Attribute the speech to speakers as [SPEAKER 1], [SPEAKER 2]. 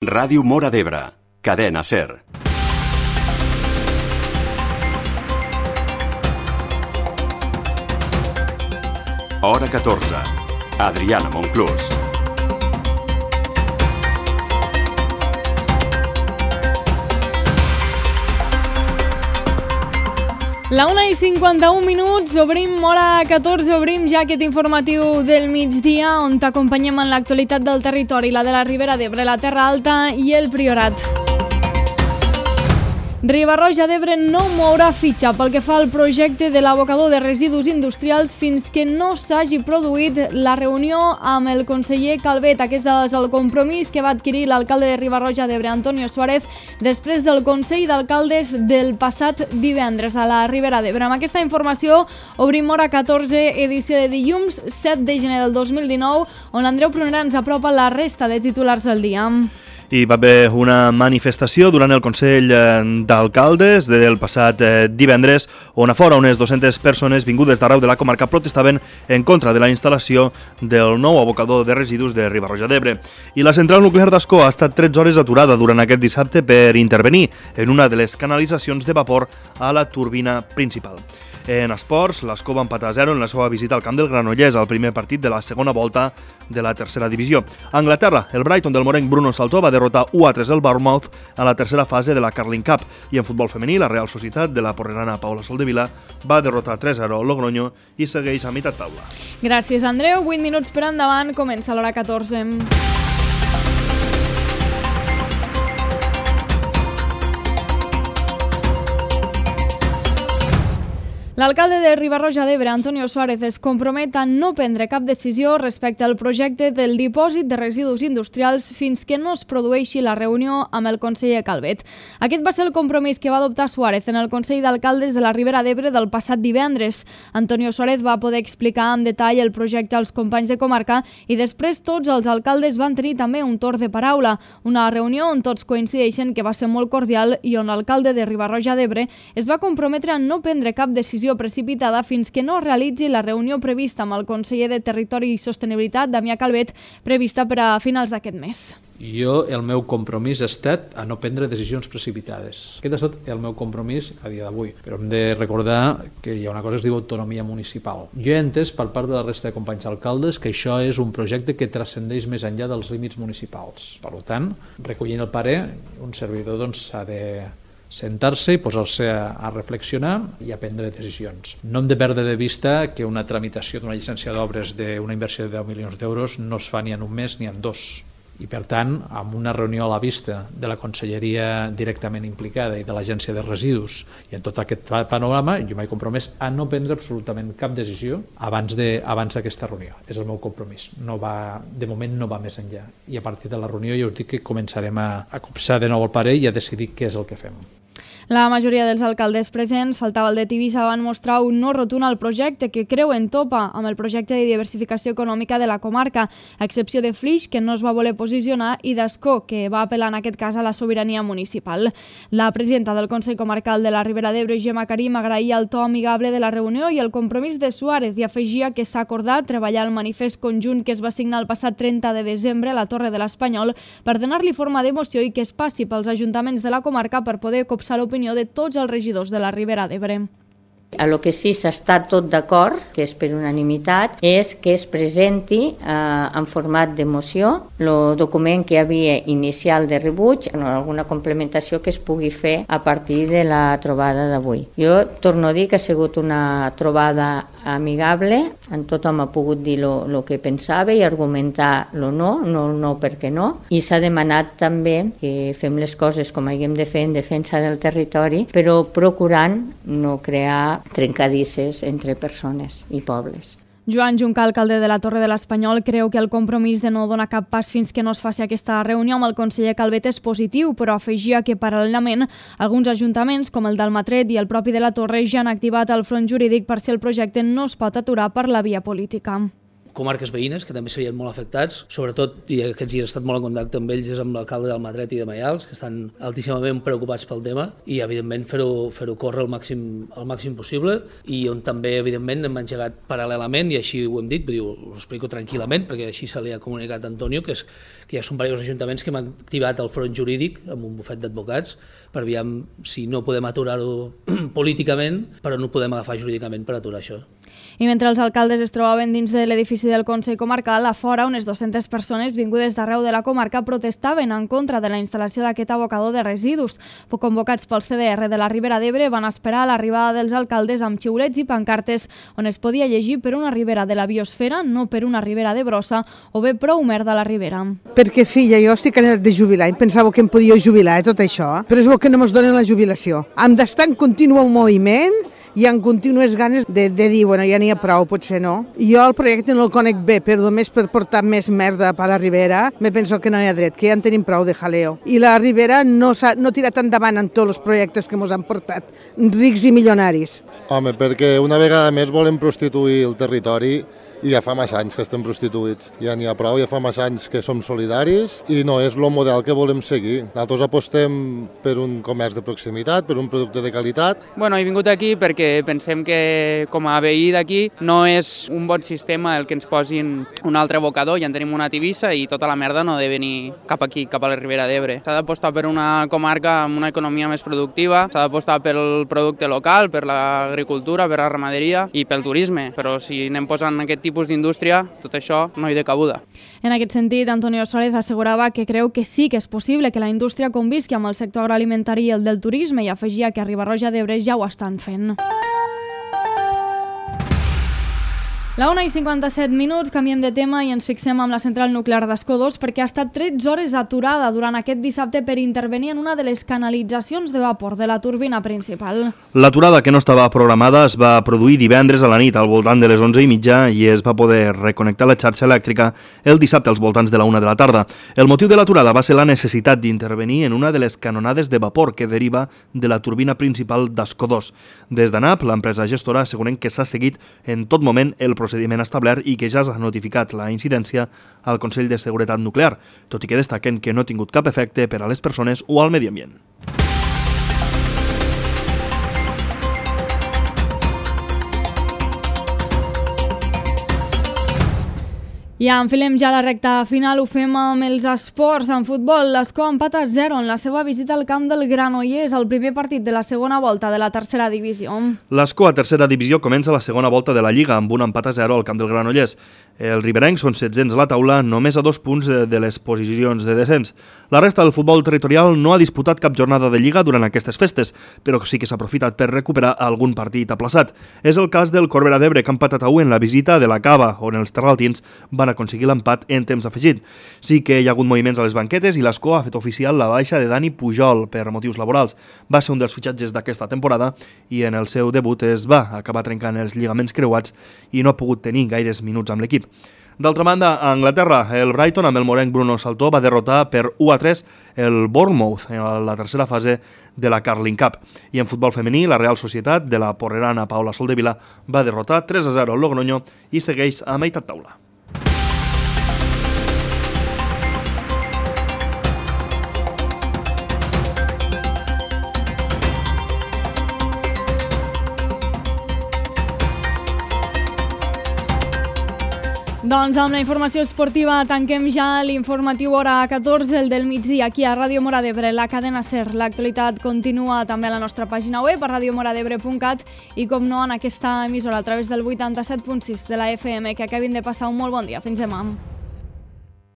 [SPEAKER 1] Ràdio Móra d'Ebre, cadena SER. Hora 14. Adriana Monclús.
[SPEAKER 2] La 1:51, obrim hora 14, obrim ja aquest informatiu del migdia on t'acompanyem en l'actualitat del territori, la de la Ribera d'Ebre, la Terra Alta i el Priorat. Riba-roja d'Ebre no mourà fitxa pel que fa al projecte de l'abocador de residus industrials fins que no s'hagi produït la reunió amb el conseller Calvet. Aquest és el compromís que va adquirir l'alcalde de Riba-roja d'Ebre, Antonio Suárez, després del Consell d'Alcaldes del passat divendres a la Ribera d'Ebre. Amb aquesta informació obrim hora 14, edició de dilluns 7 de gener del 2019, on l'Andreu Prunera ens apropa la resta de titulars del dia.
[SPEAKER 3] Hi va haver una manifestació durant el Consell d'Alcaldes del passat divendres, on a fora unes 200 persones vingudes d'arreu de la comarca protestaven en contra de la instal·lació del nou abocador de residus de Riba-roja d'Ebre. I la central nuclear d'Ascó ha estat 13 hores aturada durant aquest dissabte per intervenir en una de les canalitzacions de vapor a la turbina principal. En esports, l'Ascó va empatar a 0 en la seva visita al camp del Granollers, al primer partit de la segona volta de la tercera divisió. A Anglaterra, el Brighton del morenc Bruno Saltó va derrotar 1-3 el Bournemouth a la tercera fase de la Carling Cup. I en futbol femení, la Real Societat de la porrerana Paula Soldevila va derrotar 3-0 el Logroño i segueix a meitat taula.
[SPEAKER 2] Gràcies, Andreu. 8 minuts per endavant, comença l'hora 14. L'alcalde de Riba-roja d'Ebre, Antonio Suárez, es compromet a no prendre cap decisió respecte al projecte del dipòsit de residus industrials fins que no es produeixi la reunió amb el conseller Calvet. Aquest va ser el compromís que va adoptar Suárez en el Consell d'Alcaldes de la Ribera d'Ebre del passat divendres. Antonio Suárez va poder explicar amb detall el projecte als companys de comarca i després tots els alcaldes van tenir també un torn de paraula. Una reunió on tots coincideixen que va ser molt cordial i on l'alcalde de Riba-roja d'Ebre es va comprometre a no prendre cap decisió precipitada fins que no realitzi la reunió prevista amb el conseller de Territori i Sostenibilitat, Damià Calvet, prevista per a finals d'aquest mes.
[SPEAKER 4] El meu compromís ha estat a no prendre decisions precipitades. Aquest ha estat el meu compromís a dia d'avui. Però hem de recordar que hi ha una cosa que es diu autonomia municipal. Jo he entès per part de la resta de companys alcaldes que això és un projecte que transcendeix més enllà dels límits municipals. Per tant, recollint el parer, un servidor s'ha de sentar-se i posar-se a reflexionar i a prendre decisions. No hem de perdre de vista que una tramitació d'una llicència d'obres d'una inversió de 10 milions d'euros no es fa ni en un mes ni en dos. I per tant, amb una reunió a la vista de la conselleria directament implicada i de l'agència de residus i en tot aquest panorama, jo m'he compromès a no prendre absolutament cap decisió abans d'aquesta reunió. És el meu compromís. De moment no va més enllà. I a partir de la reunió ja us dic que començarem a copsar de nou el parer i a decidir què és el que fem.
[SPEAKER 2] La majoria dels alcaldes presents, faltava el de Tivissa, van mostrar un no rotund al projecte que creuen topa amb el projecte de diversificació econòmica de la comarca, a excepció de Flix, que no es va voler posicionar, i d'Ascó, que va apel·lar en aquest cas a la sobirania municipal. La presidenta del Consell Comarcal de la Ribera d'Ebre, Gemma Karim, agraïa el to amigable de la reunió i el compromís de Suárez i afegia que s'ha acordat treballar el manifest conjunt que es va signar el passat 30 de desembre a la Torre de l'Espanyol per donar-li forma d'emoció i que es passi pels ajuntaments de la comarca per poder copsar l'opinió de tots els regidors de la Ribera d'Ebre.
[SPEAKER 5] A lo que sí s'està tot d'acord, que és per unanimitat, és que es presenti en format de moció el document que hi havia inicial de rebuig, alguna complementació que es pugui fer a partir de la trobada d'avui. Jo torno a dir que ha sigut una trobada amigable, en tothom ha pogut dir el que pensava i argumentar el no perquè no, i s'ha demanat també que fem les coses com haguem de fer en defensa del territori, però procurant no crear trencadisses entre persones i pobles.
[SPEAKER 2] Joan Juncal, alcalde de la Torre de l'Espanyol, creu que el compromís de no donar cap pas fins que no es faci aquesta reunió amb el conseller Calvet és positiu, però afegia que paral·lelament alguns ajuntaments, com el d'Almatret i el propi de la Torre, ja han activat el front jurídic per si el projecte no es pot aturar per la via política.
[SPEAKER 6] comarques veïnes, que també serien molt afectats, sobretot, i aquests dies he estat molt en contacte amb ells, és amb l'alcalde d'Almatret i de Maials, que estan altíssimament preocupats pel tema, i evidentment fer-ho córrer el màxim possible, i on també evidentment hem engegat paral·lelament, i així ho hem dit, ho explico tranquil·lament, perquè així se li ha comunicat a Antonio, que ja són diversos ajuntaments que hem activat el front jurídic amb un bufet d'advocats per aviam si no podem aturar-ho políticament, però no podem agafar jurídicament per aturar això.
[SPEAKER 2] I mentre els alcaldes es trobaven dins de l'edifici del Consell Comarcal, a fora unes 200 persones vingudes d'arreu de la comarca protestaven en contra de la instal·lació d'aquest abocador de residus. Convocats pels CDR de la Ribera d'Ebre van esperar l'arribada dels alcaldes amb xiulets i pancartes on es podia llegir per una ribera de la biosfera, no per una ribera de brossa, o bé prou merda a la ribera.
[SPEAKER 7] Perquè, filla, jo estic anat de jubilar i pensava que em podia jubilar, tot això, però és bo que no ens donen la jubilació. Hem d'estar en continu moviment i en contínues ganes de dir, bueno, ja n'hi ha prou, potser no. Jo el projecte no el conec bé, però només per portar més merda per la ribera, me penso que no hi ha dret, que ja en tenim prou de jaleo. I la ribera no ha tirat endavant en tots els projectes que ens han portat, rics i milionaris.
[SPEAKER 8] Home, perquè una vegada més volem prostituir el territori i ja fa massa anys que estem prostituïts. Ja n'hi ha prou, ja fa massa anys que som solidaris i no és el model que volem seguir. Nosaltres apostem per un comerç de proximitat, per un producte de qualitat.
[SPEAKER 9] Bueno, he vingut aquí perquè pensem que com a veí d'aquí no és un bon sistema el que ens posin un altre abocador, ja en tenim una a Tivissa i tota la merda no ha de venir cap aquí, cap a la Ribera d'Ebre. S'ha d'apostar per una comarca amb una economia més productiva, s'ha d'apostar pel producte local, per l'agricultura, per la ramaderia i pel turisme, però si anem posant aquest tipus d'indústria, tot això no hi ha de cabuda.
[SPEAKER 2] En aquest sentit, Antonio Suárez assegurava que creu que sí que és possible que la indústria convisqui amb el sector agroalimentari i el del turisme i afegia que a Riba-roja d'Ebre ja ho estan fent. La 1:57, canviem de tema i ens fixem amb la central nuclear d'Ascó 2 perquè ha estat 13 hores aturada durant aquest dissabte per intervenir en una de les canalitzacions de vapor de la turbina principal.
[SPEAKER 3] L'aturada, que no estava programada, es va produir divendres a la nit al voltant de les 11:30 i es va poder reconnectar la xarxa elèctrica el dissabte als voltants de la 1 de la tarda. El motiu de l'aturada va ser la necessitat d'intervenir en una de les canonades de vapor que deriva de la turbina principal d'Ascó 2. Des d'ANAP, l'empresa gestora, asseguren que s'ha seguit en tot moment el procediment establert i que ja s'ha notificat la incidència al Consell de Seguretat Nuclear, tot i que destaquen que no ha tingut cap efecte per a les persones o al medi ambient.
[SPEAKER 2] Ja enfilem ja la recta final, ho fem amb els esports. En futbol, l'Ascó empata 0 en la seva visita al camp del Granollers, el primer partit de la segona volta de la tercera divisió.
[SPEAKER 3] L'Ascó a tercera divisió comença la segona volta de la Lliga amb un empat a 0 al camp del Granollers. Els riberencs són 700 a la taula, només a 2 punts de les posicions de descens. La resta del futbol territorial no ha disputat cap jornada de Lliga durant aquestes festes, però sí que s'ha aprofitat per recuperar algun partit aplaçat. És el cas del Corbera d'Ebre, que ha empatat a 1 en la visita de la Cava, on els terraltins van aconseguir l'empat en temps afegit. Sí que hi ha hagut moviments a les banquetes i l'Ascó ha fet oficial la baixa de Dani Pujol per motius laborals. Va ser un dels fitxatges d'aquesta temporada i en el seu debut es va acabar trencant els lligaments creuats i no ha pogut tenir gaires minuts amb l'equip. D'altra banda, a Anglaterra, el Brighton amb el morenc Bruno Saltó va derrotar per 1-3 el Bournemouth en la tercera fase de la Carling Cup. I en futbol femení, la Real Societat de la porrerana Paula Soldevila va derrotar 3-0 al Logroño i segueix a meitat taula.
[SPEAKER 2] Doncs amb la informació esportiva tanquem ja l'informatiu hora 14, el del migdia, aquí a Ràdio Mora d'Ebre, la cadena SER. L'actualitat continua també a la nostra pàgina web, a radiomoradebre.cat i, com no, en aquesta emissora a través del 87.6 de la FM. Que acabin de passar un molt bon dia. Fins demà.